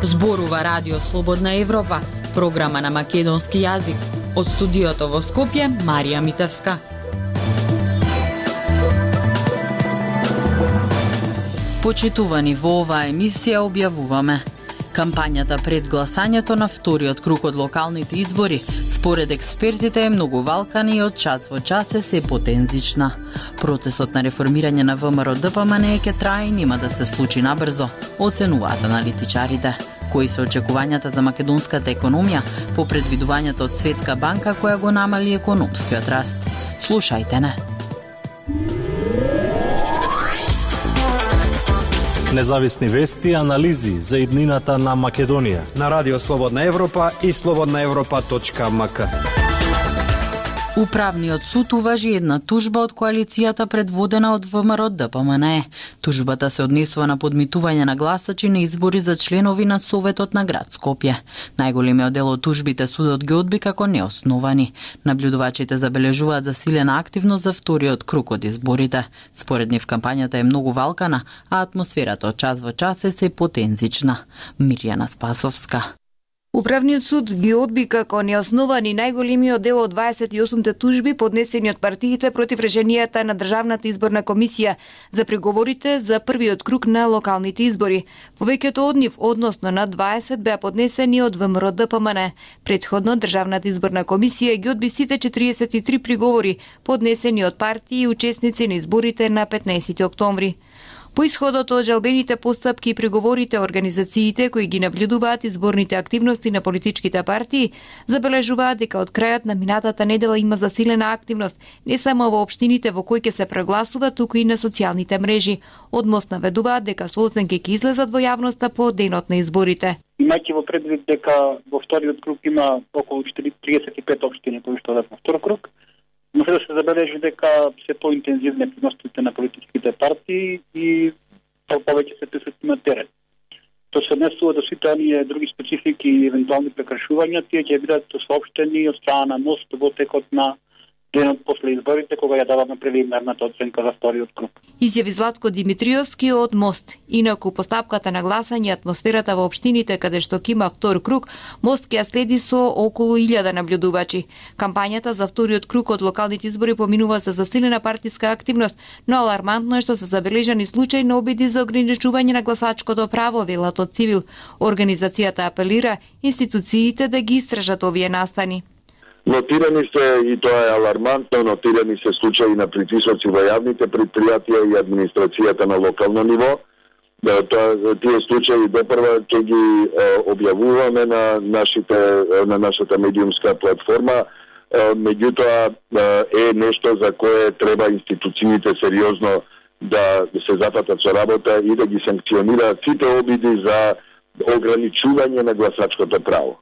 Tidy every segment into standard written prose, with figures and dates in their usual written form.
Зборува Радио Слободна Европа, програма на македонски јазик. Од студиото во Скопје, Марија Митевска. Почитувани, во оваа емисија објавуваме: кампањата пред гласањето на вториот круг од локалните избори според експертите е многу валкана и од час во час е се потензична. Процесот на реформирање на ВМРО-ДПМН ќе трае и нема да се случи набрзо, оценуваат аналитичарите. Кои се очекувањата за македонската економија по предвидувањето од Светска банка која го намали економскиот раст? Слушајте не. Независни вести и анализи за иднината на Македонија на Радио Слободна Европа и slobodnaevropa.mk. Управниот суд уважи една тужба од коалицијата предводена од ВМРО-ДПМН. Тужбата се однесува на подмитување на гласачи на избори за членови на Советот на град Скопје. Најголемиот дел од тужбите судот ги одби како неосновани. Наблюдувачите забележуваат засилена активност за вториот круг од изборите. Според нив кампањата е многу валкана, а атмосферата од час во час е се потензична. Мирјана Спасовска. Управниот суд ги одби како неосновани најголемиот дел од 28 тужби поднесени од партиите против решенијата на Државната изборна комисија за преговорите за првиот круг на локалните избори. Повеќето од нив, односно на 20, беа поднесени од ВМРО-ДПМН. Претходно Државната изборна комисија ги одби сите 43 приговори поднесени од партии и учесници на изборите на 15 октомври. По исходот од жалбените постапки и преговорите, организациите кои ги наблюдуваат изборните активности на политичките партии забележуваат дека од крајот на минатата недела има засилена активност не само во општините во кои ќе се прегласува, туку и на социјалните мрежи. Одмост наведуваат дека соценки ќе излезат во јавноста по денот на изборите. Имајќи во предвид дека во вториот круг има околу 35 општини кои што одат во втор круг, може да се забележи дека се поинтензивни активностите на политичките партии и повеќе се присутни на терен. Тоа се однесува до сите оние други специфики и евентуални прекршувања, тие ќе бидат соопштени од страна на МОСТ во текот на денот после изборите, кога ја даваме прелиминарната оценка за вториот круг. Изјави Златко Димитриовски од МОСТ. Инаку постапката на гласање, атмосферата во општините каде што ќе има втор круг, МОСТ ќе ја следи со околу 1000 наблюдувачи. Кампањата за вториот круг од локалните избори поминува со засилена партиска активност, но алармантно е што се забележани случаи на обиди за ограничување на гласачкото право, велат од Цивил. Организацијата апелира институциите да ги истражат овие настани. Нотирани се, и тоа е алармантно, нотирани се случаи на притисоци во јавните предпријатија и администрацијата на локално ниво. Тие случаи допрва ќе ги објавуваме на нашата медиумска платформа. Меѓутоа е нешто за кое треба институциите сериозно да се запатат со работа и да ги санкционираат сите обиди за ограничување на гласачкото право.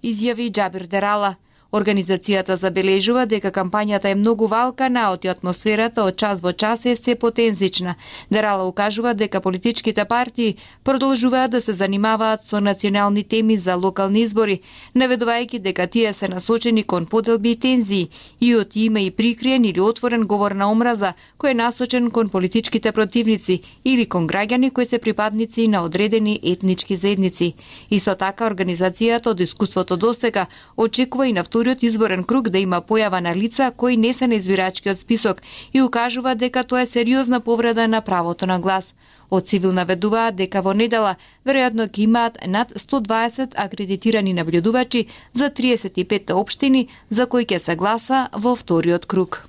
Изјави Џабир Дерала. Организацијата забележува дека кампањата е многу валкана, а атмосферата од час во час е се потензична. Дерала укажува дека политичките партии продолжуваат да се занимаваат со национални теми за локални избори, наведувајќи дека тие се насочени кон поделби и тензии и од има и прикриен или отворен говор на омраза кој е насочен кон политичките противници или кон граѓани кои се припадници на одредени етнички заедници. Исто така организацијата од искуството досега очекува и на вториот изборен круг да има појава на лица кои не се на избирачкиот список и укажува дека тоа е сериозна повреда на правото на глас. Од Цивил наведуваат дека во недела веројатно ќе имаат над 120 акредитирани наблюдувачи за 35 општини за кои ќе се гласа во вториот круг.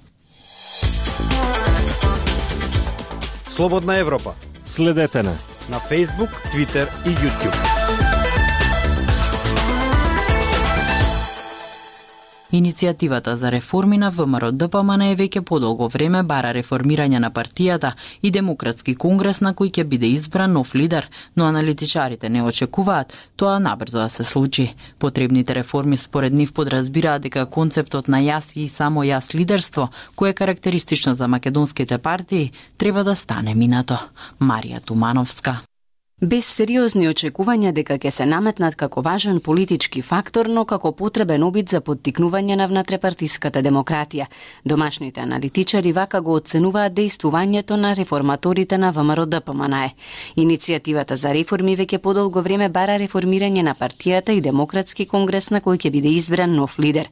Слободна Европа. Следете на Facebook, Twitter и YouTube. Иницијативата за реформи на ВМРО-ДПМН веќе подолго време бара реформирање на партијата и демократски конгрес на кој ќе биде избран нов лидер, но аналитичарите не очекуваат тоа набрзо да се случи. Потребните реформи според нив подразбираат дека концептот на јас и само јас лидерство, кое е карактеристично за македонските партии, треба да стане минато. Марија Тумановска. Без сериозни очекувања дека ќе се наметнат како важен политички фактор, но како потребен обид за поттикнување на внатрепартиската демократија. Домашните аналитичари вака го оценуваат дејствувањето на реформаторите на ВМРО-ДПМНЕ. Иницијативата за реформи веќе подолго време бара реформирање на партијата и Демократски конгрес на кој ќе биде избран нов лидер.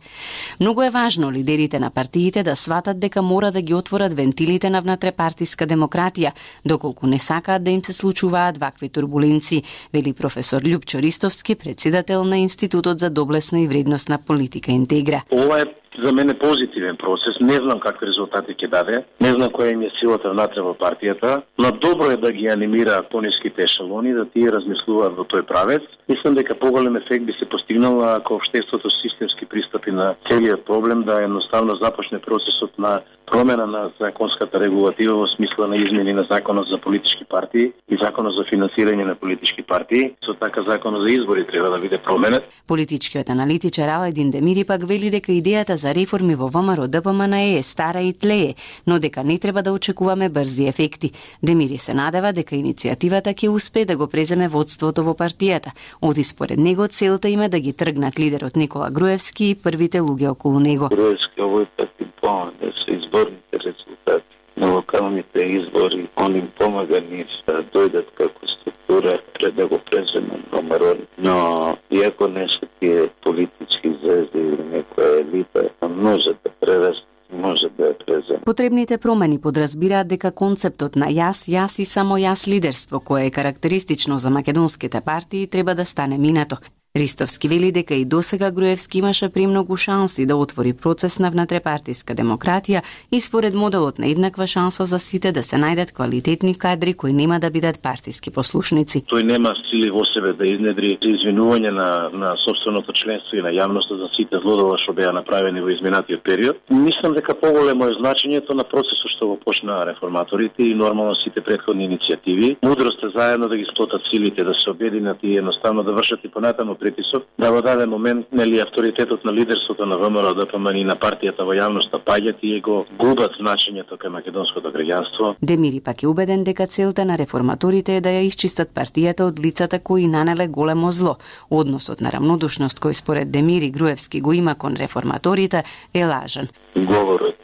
Многу е важно лидерите на партиите да сватат дека мора да ги отворат вентилите на внатрепартиска демократија, доколку не сакаат да им се случуваат вакви турбуленци, вели професор Љупчо Ристовски, председател на Институтот за доблесна и вредностна политика Интегра. Ова е за мене позитивен процес. Не знам какви резултати ќе даде, не знам која им е силата внатре во партијата, но добро е да ги анимираат пониските ешелони, да тие размислуваат во тој правец. Мислам дека поголем ефект би се постигнал ако општеството системски пристапи на целиот проблем, да едноставно започне процесот на промена на законската регулатива во смисла на измени на законот за политички партии и законот за финансирање на политички партии. Со така законот за избори треба да биде променет. Политичкиот аналитичар Аладин Демири пак вели дека идејата за реформи во ВМРО-ДПМНЕ е стара и тлее, но дека не треба да очекуваме брзи ефекти. Демири се надева дека иницијативата ќе успее да го преземе водството во партијата. Оти според него целта им е да ги тргнат лидерот Никола Груевски и првите луѓе околу него. Груевски овој пат им помага да се изборните резултати на локалните избори. Он им помага ние да дојдат како структура пред да го преземе ВМРО. Но иако не се тие политички звезди или некоја елита, може да прерасте, може да е презем. Потребните промени подразбираат дека концептот на јас и само јас лидерство, кое е карактеристично за македонските партии, треба да стане минато. Ристовски вели дека и досега Груевски имаше премногу шанси да отвори процес на внатрепартиска демократија и според моделот на еднаква шанса за сите да се најдат квалитетни кадри кои нема да бидат партиски послушници. Тој нема сили во себе да изнедри извинување на собственото членство и на јавноста за сите злодела што беа направени во изминатиот период. Мислам дека поголемо е значењето на процесот што го почнаа реформаторите и нормално сите претходни иницијативи. Мудрост е заедно да ги сплотат силите, да се обединат и едноставно да вршат и понатаму притисок, да во даден момент нели авторитетот на лидерството на ВМРО-ДПМН и на партијата во јавноста паѓат и го губат значењето кај македонското граѓанство. Демири пак е убеден дека целта на реформаторите е да ја исчистат партијата од лицата кои нанеле големо зло. Односот на рамнодушност кој според Демири Груевски го има кон реформаторите е лажен. Говорот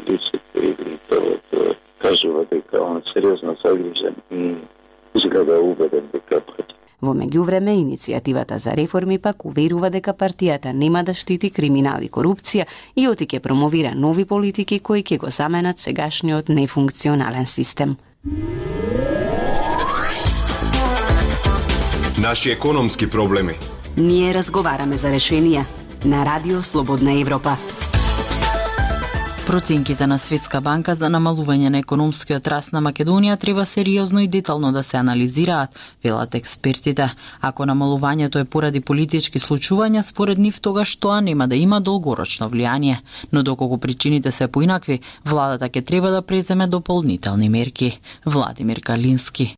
лицето и лицето кажува дека он сериозно загрижен и изгледа убеден дека Во меѓувреме, иницијативата за реформи пак уверува дека партијата нема да штити криминал и корупција и оти ќе промовира нови политики кои ќе го заменат сегашниот нефункционален систем. Наши економски проблеми. Ние разговараме за решенија на Радио Слободна Европа. Проценките на Светска банка за намалување на економскиот раст на Македонија треба сериозно и детално да се анализираат, велат експертите. Ако намалувањето е поради политички случувања, според нив тогаш тоа нема да има долгорочно влијание. Но доколку причините се поинакви, владата ќе треба да преземе дополнителни мерки. Владимир Калински.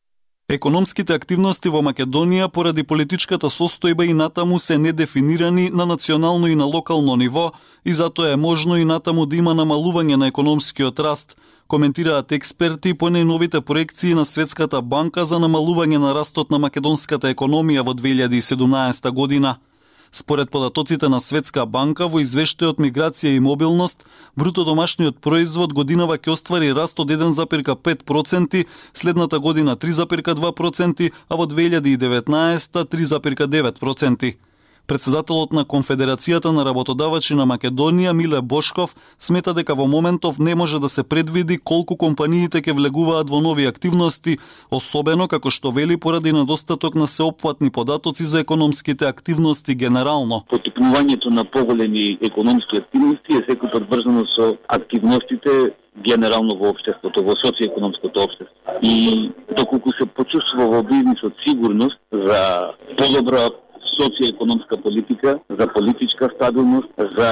Економските активности во Македонија поради политичката состојба и натаму се недефинирани на национално и на локално ниво и затоа е можно и натаму да има намалување на економскиот раст, коментираат експерти по најновите проекции на Светската банка за намалување на растот на македонската економија во 2017 година. Според податоците на Светска банка во извештајот Миграција и мобилност, бруто домашниот производ годинава ќе оствари раст од 1,5%, следната година 3,2%, а во 2019 3,9%. Председателот на Конфедерацијата на работодавачи на Македонија Миле Бошков смета дека во моментов не може да се предвиди колку компаниите ќе влегуваат во нови активности, особено како што вели поради недостаток на сеопфатни податоци за економските активности генерално. Поттикнувањето на поголеми економски активности е секој пат врзано со активностите генерално во општеството, во социјекономското општество. И доколку се почувствува во бизнисот сигурност за подобра социјекономска политика, за политичка стабилност, за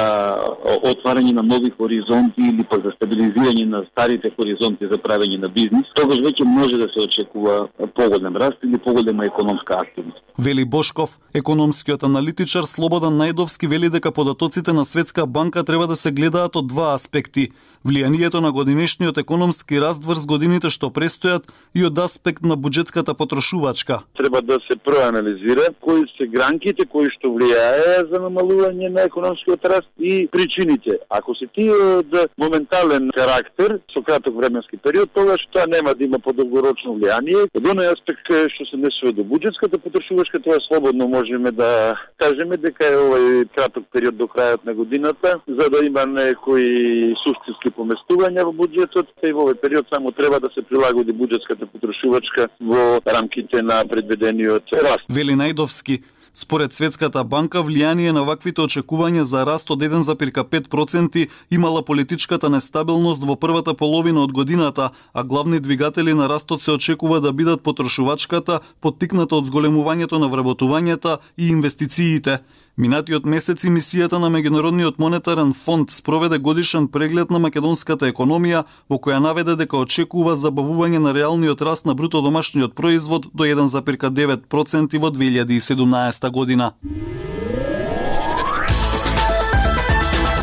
отварање на нови хоризонти или па за стабилизирање на старите хоризонти за правење на бизнис, тогаш веќе може да се очекува поголем раст или поголема економска активност. Вели Бошков, економскиот аналитичар Слободан Најдовски вели дека податоците на Светска банка треба да се гледаат од два аспекти: влијанието на годинешниот економски раст врз годините што престојат и од аспект на буџетската потрошувачка. Треба да се проанализира кои се гранките кои што влијае за намалување на економскиот раст и причините. Ако се тие од моментален карактер со краток временски период, тогаш тоа нема да има подолгорочно влијание. Од оној аспект што се несува до буџетската потрошувачка, тоа слободно можеме да кажеме дека е овој краток период до крајот на годината, за да има некои суштински поместувања во буџетот, и во овој период само треба да се прилагоди буџетската потрошувачка во рамките на предвидениот раст. Вели Најдовски, според Светската банка влијание на ваквите очекувања за раст од 1,5% имала политичката нестабилност во првата половина од годината, а главни двигатели на растот се очекува да бидат потрошувачката, поттикната од зголемувањето на вработувањата и инвестициите. Минатиот месец мисијата на Меѓународниот монетарен фонд спроведе годишен преглед на македонската економија, во која наведе дека очекува забавување на реалниот раст на бруто домашниот производ до 1,9% во 2017 година.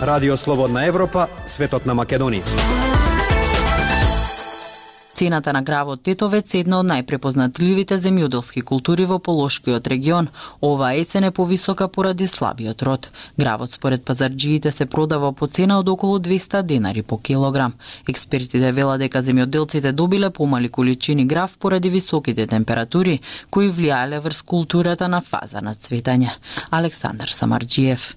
Радио Слободна Европа, светот на Македонија. Цената на гравот тетовец е една од најпрепознатливите земјоделски култури во Полошкиот регион. Ова есен е повисока поради слабиот род. Гравот според пазарџиите се продава по цена од околу 200 денари по килограм. Експертите велат дека земјоделците добиле помали количини грав поради високите температури кои влијаеле врз културата на фаза на цветање. Александар Самарџиев.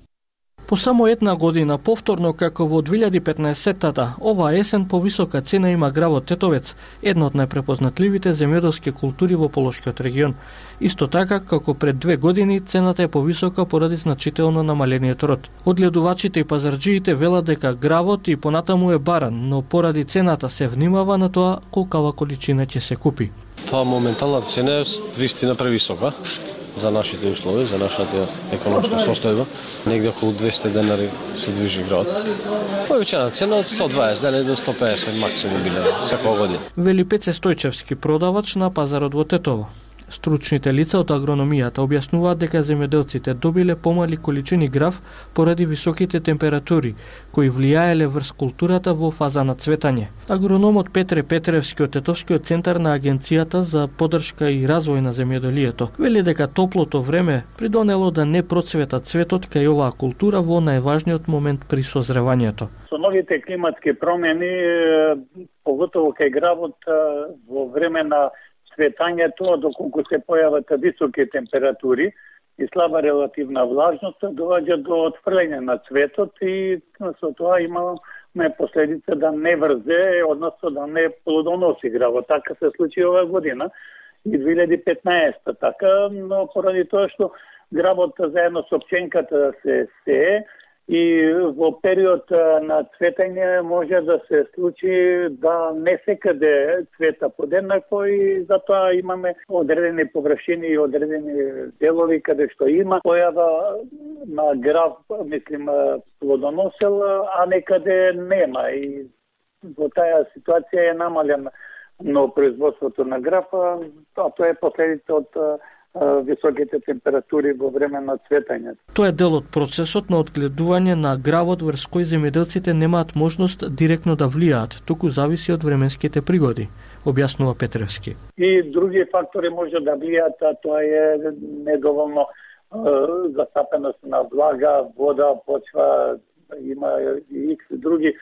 По само една година повторно како во 2015-тата, ова есен повисока цена има гравот тетовец, една од најпрепознатливите земјоделски култури во Полошкиот регион. Исто така како пред 2 години цената е повисока поради значително намалениот род. Одгледувачите и пазарџиите велат дека гравот и понатаму е баран, но поради цената се внимава на тоа колкава количина ќе се купи. Па моментална цена е вистина превисока за нашите услови, за нашата економска состојба. Негде околу 200 денари се движи гравот. Повеќана цена од 120 денари до 150 максимум биле секоја година. Вели Пеце Стојчевски, продавач на пазарот во Тетово. Стручните лица од агрономијата објаснуваат дека земјоделците добиле помали количини грав поради високите температури, кои влијаеле врз културата во фаза на цветање. Агрономот Петре Петревски од Тетовскиот центар на Агенцијата за поддршка и развој на земјоделието вели дека топлото време придонело да не процвета цветот кај оваа култура во најважниот момент при созревањето. Со новите климатски промени, поготово кај гравот во време на цветањето, доколку се појават високи температури и слаба релативна влажност, доаѓа до отфрлење на цветот и со тоа имаме последица да не врзе, односно да не плодоноси гравот. Така се случи оваа година и 2015. Така, но поради тоа што гравот заедно со пченката се сее, и во период на цветање може да се случи да не секаде цвета подеднакво и затоа имаме одредени површини и одредени делови каде што има појава на грав, плодоносел, а некаде нема. И во таа ситуација е намалена но производството на грав, а тоа е последица од високите температури во време на цветањето. Тоа е дел од процесот на одгледување на гравот врз кој земјоделците немаат можност директно да влијаат, туку зависи од временските пригоди, објаснува Петревски. И други фактори може да влијаат, а тоа е недоволно засапеност на влага, вода, почва, има и други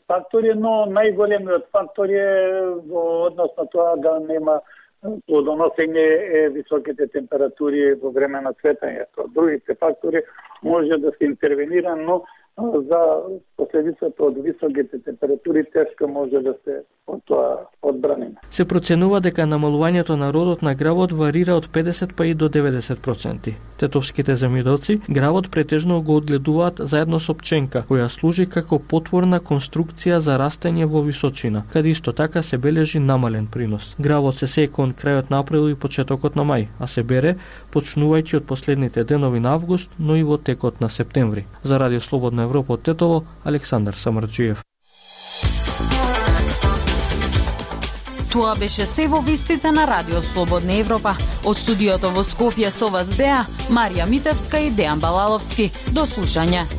фактори, но најголемиот фактор е во однос на тоа да нема плодоносење е високите температури во време на цветањето. Другите фактори може да се интервенира, но за последицата од високите температури тешко може да се од тоа одбраниме. Се проценува дека намалувањето на родот на гравот варира од 50 па и до 90%. Тетовските земјоделци гравот претежно го одгледуваат заедно со пченка, која служи како потворна конструкција за растење во височина, каде исто така се бележи намален принос. Гравот се сее кон крајот на април и почетокот на мај, а се бере почнувајќи од последните денови на август, но и во текот на септември. За Радио Слободна Европа од Тетово, Александар Самарджиев. Тоа беше се во вестите на Радио Слободна Европа. Од студиото во Скопје со вас беа Марија Митевска и Дејан Балаловски. До слушање.